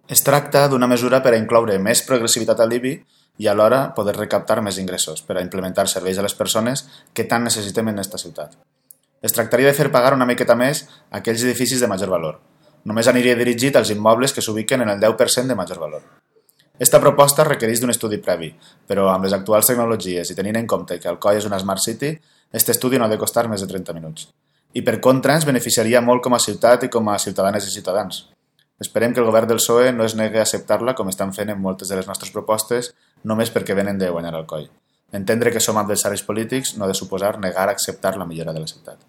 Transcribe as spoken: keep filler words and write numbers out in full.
Es tracta d'una mesura per a incloure més progressivitat al l'I B I i alhora poder recaptar més ingressos per a implementar serveis a les persones que tant necessitem en aquesta ciutat. Es tractaria de fer pagar una miqueta més a aquells edificis de major valor. Només aniria dirigit als immobles que s'ubiquen en el deu per cent de major valor. Esta proposta requereix d'un estudi previ, però amb les actuals tecnologies i tenint en compte que Alcoi és una Smart City, aquest estudi no ha de costar més de trenta minuts. I per contra ens beneficiaria molt com a ciutat i com a ciutadanes i ciutadans. Esperem que el govern del P S O E no es negui a acceptar-la com estan fent en moltes de les nostres propostes només perquè venen de guanyar Alcoi. Entendre que som adversaris polítics no ha de suposar negar a acceptar la millora de la ciutat.